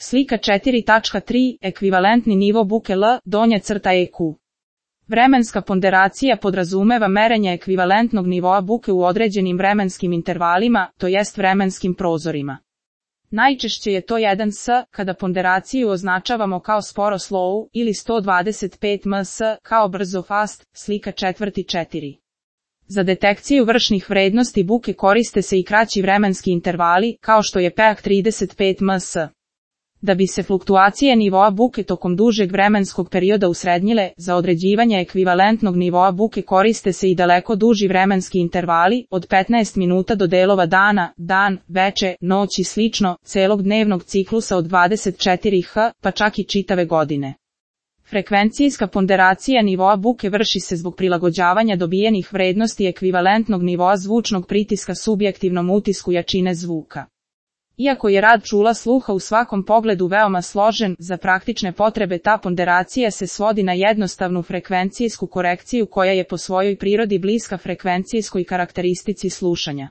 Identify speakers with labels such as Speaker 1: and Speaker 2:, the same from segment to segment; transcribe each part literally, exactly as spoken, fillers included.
Speaker 1: Slika četiri tačka tri. Ekvivalentni nivo buke L, donja crta E Q. Vremenska ponderacija podrazumeva merenje ekvivalentnog nivoa buke u određenim vremenskim intervalima, to jest vremenskim prozorima. Najčešće je to jedan S, kada ponderaciju označavamo kao sporo slow, ili sto dvadeset pet ms, kao brzo fast, slika četvrti četiri. Za detekciju vršnih vrednosti buke koriste se i kraći vremenski intervali, kao što je peak trideset pet ms. Da bi se fluktuacije nivoa buke tokom dužeg vremenskog perioda usrednjile, za određivanje ekvivalentnog nivoa buke koriste se i daleko duži vremenski intervali, od petnaest minuta do delova dana, dan, veče, noć i slično, celog dnevnog ciklusa od dvadeset četiri h, pa čak i čitave godine. Frekvencijska ponderacija nivoa buke vrši se zbog prilagođavanja dobijenih vrednosti ekvivalentnog nivoa zvučnog pritiska subjektivnom utisku jačine zvuka. Iako je rad čula sluha u svakom pogledu veoma složen, za praktične potrebe ta ponderacija se svodi na jednostavnu frekvencijsku korekciju koja je po svojoj prirodi bliska frekvencijskoj karakteristici slušanja.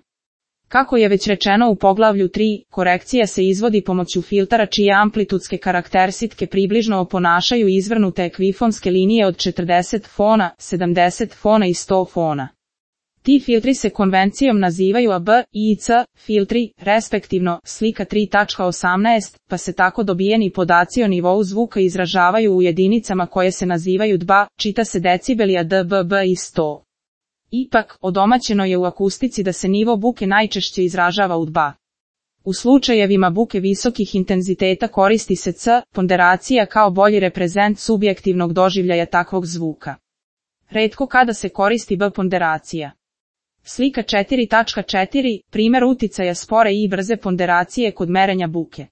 Speaker 1: Kako je već rečeno u poglavlju tri, korekcija se izvodi pomoću filtara čije amplitudske karakteristike približno oponašaju izvrnute ekvifonske linije od četrdeset fona, sedamdeset fona i sto fona. Ti filtri se konvencijom nazivaju A B i C filtri, respektivno, slika tri tačka osamnaest, pa se tako dobijeni podaci o nivou zvuka izražavaju u jedinicama koje se nazivaju dB, čita se decibeli a dB i sto. Ipak, odomaćeno je u akustici da se nivo buke najčešće izražava u dB. U slučajevima buke visokih intenziteta koristi se C ponderacija kao bolji reprezent subjektivnog doživljaja takvog zvuka. Retko kada se koristi B ponderacija. Slika četiri tačka četiri. Primer uticaja spore i brze ponderacije kod merenja buke.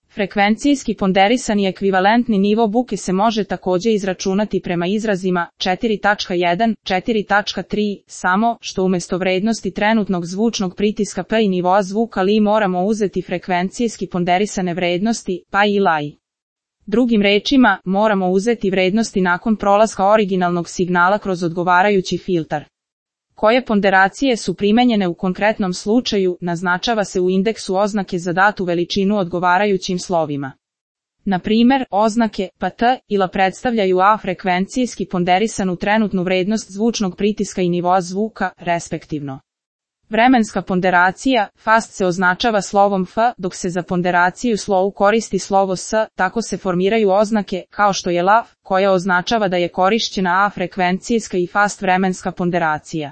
Speaker 1: Frekvencijski ponderisani ekvivalentni nivo buke se može takođe izračunati prema izrazima četiri tačka jedan, četiri tačka tri, samo što umesto vrednosti trenutnog zvučnog pritiska P i nivoa zvuka L moramo uzeti frekvencijski ponderisane vrednosti P i L. Drugim rečima, moramo uzeti vrednosti nakon prolaska originalnog signala kroz odgovarajući filtar. Koje ponderacije su primenjene u konkretnom slučaju, naznačava se u indeksu oznake za datu veličinu odgovarajućim slovima. Na primer, oznake P T i L predstavljaju A frekvencijski ponderisanu trenutnu vrednost zvučnog pritiska i nivoa zvuka, respektivno. Vremenska ponderacija, fast se označava slovom F, dok se za ponderaciju slow koristi slovo S, tako se formiraju oznake, kao što je L A F, koja označava da je korišćena A frekvencijska i fast vremenska ponderacija.